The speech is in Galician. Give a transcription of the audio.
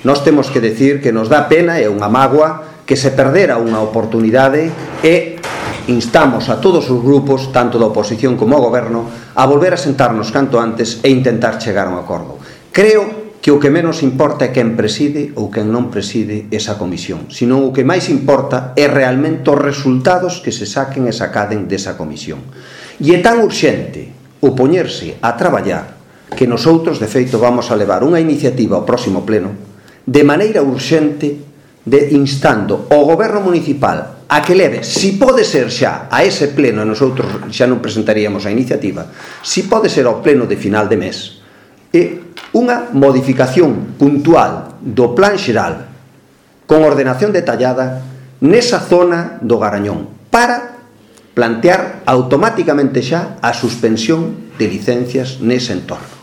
nós temos que decir que nos dá pena, é unha mágoa que se perdera unha oportunidade, e instamos a todos os grupos, tanto da oposición como ao goberno, a volver a sentarnos canto antes e intentar chegar a un acordo. Creo que o que menos importa é quen preside ou quen non preside esa comisión, senón o que máis importa é realmente os resultados que se saquen e sacaden desa comisión. E é tan urxente o poñerse a traballar que nosotros, de feito, vamos a levar unha iniciativa ao próximo pleno de maneira urxente, instando ao goberno municipal a que leve, si pode ser xa a ese pleno, e nosotros xa non presentaríamos a iniciativa, si pode ser ao pleno de final de mes, e unha modificación puntual do plan xeral con ordenación detallada nesa zona do Garañón, para plantear automáticamente xa a suspensión de licencias nese entorno.